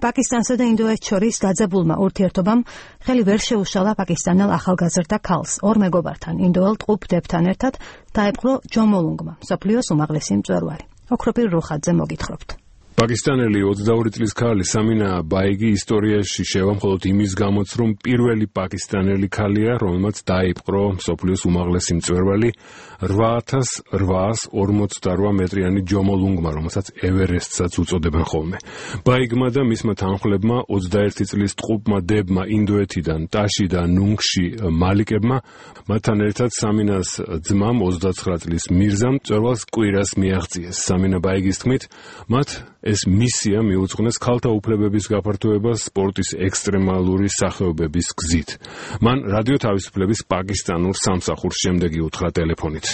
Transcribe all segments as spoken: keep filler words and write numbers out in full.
პაკისტანსა და ინდოეთს შორის დაძაბულმა ურთიერთობამ ხელი ვერ შეუშალა პაკისტანელ ახალგაზრდა ქალს ორ მეგობართან ინდოელ ტყუპ დებთან ერთად დაეპყრო ჯომოლუნგმა, მსოფლიოს უმაღლესი მწვერვალი. ოქროპირ რუხაძე მოგითხრობთ. პაკისტანელი ოცდაორი წლის ქალი სამინა ბაიგი ისტორიაში შევა მხოლოდ იმის გამოც, რომ პირველი პაკისტანელი ქალია, რომელმაც დაიპყრო მსოფლიოს უმაღლესი მწვერვალი რვა ათას რვაას ორმოცდარვა მეტრიანი ჯომოლუნგმა, რომელსაც ევერესტსაც უწოდებენ ხოლმე. ბაიგმა და მისმა თანხმლებმა ოცდაერთი წლის ტყუპმა დებმა ინდოეთიდან ტაში და ნუნგში მალიკებმა, მათთან ერთად სამინას ძმამ ოცდაცხრა წლის მირზამ მწვერვალს კვირას მიაღწიეს. სამინა ბაიგის თქმით, მათ ეს მისია მიუძღვნეს ქალთა უფლებების გაფართოებას სპორტის ექსტრემალური სახეობების გზით. მან რადიო თავისუფლების პაკისტანურ სამსახურს შემდეგი უთხრა ტელეფონით.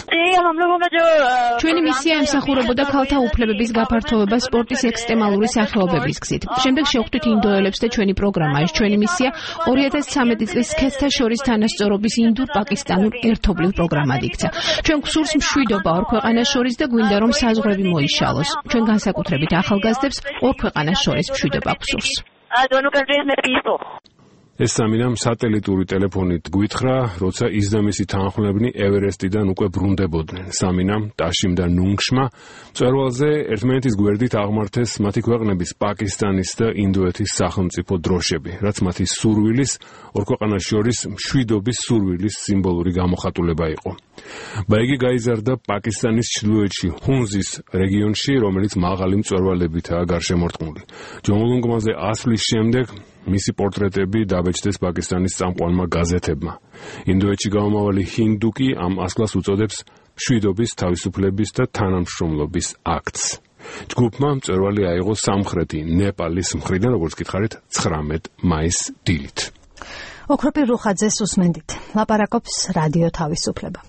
ჩვენი მისია ემსახურებოდა ქალთა უფლებების გაფართოებას სპორტის ექსტრემალური სახეობების გზით. შემდეგ შევხვდით ინდოელებს და ჩვენი პროგრამა ეს ჩვენი მისია ორი ათას ცხრამეტი წლის სქესთა შორის თანასწორობის ინდურ-პაკისტანურ ერთობლივ პროგრამად იქცა. ჩვენ გვსურს მშვიდობა ორ ქვეყანას შორის და გვინდა რომ საზღვრები მოიშალოს. ჩვენ განსაკუთრებით ახალგაზრდებს ორ ქვეყანას შორის მშვიდობა გვსურს. ეს სამინამ სატელიტური ტელეფონით გვითხრა, როცა ის და მისი თანხმლებნი ევერესტიდან უკვე ბრუნდებოდნენ. სამინამ, ტაშიმ და ნუნგშმა მწვერვალზე ერთმანეთის გვერდით აღმართეს მათი ქვეყნების პაკისტანის და ინდოეთის სახელმწიფო დროშები, რაც მათი სურვილის, ორ ქვეყანას შორის მშვიდობის სურვილის სიმბოლური გამოხატულება იყო. ბაიგი გაიზარდა პაკისტანის ჩრდილოეთში, ჰუნზის რეგიონში, რომელიც მაღალი მწვერვალებითაა გარშემორტყმული. ჯომოლუნგმაზე ასვლის შემდეგ მისი პორტრეტები დაბეჭდეს პაკისტანის წამყვანმა გაზეთებმა. ინდოეთში გამომავალი ჰინდუ კი ამ ასვლას უწოდებს მშვიდობის, თავისუფლების და თანამშრომლობის აქტს. ჯგუფმა მწვერვალი აიღო სამხრეთი ნეპალის მხრიდან, როგორც გითხარით, ცხრამეტ მაისს დილით. ოქროპირ რუხაძეს უსმენდით. ლაპარაკობს რადიო თავისუფლება.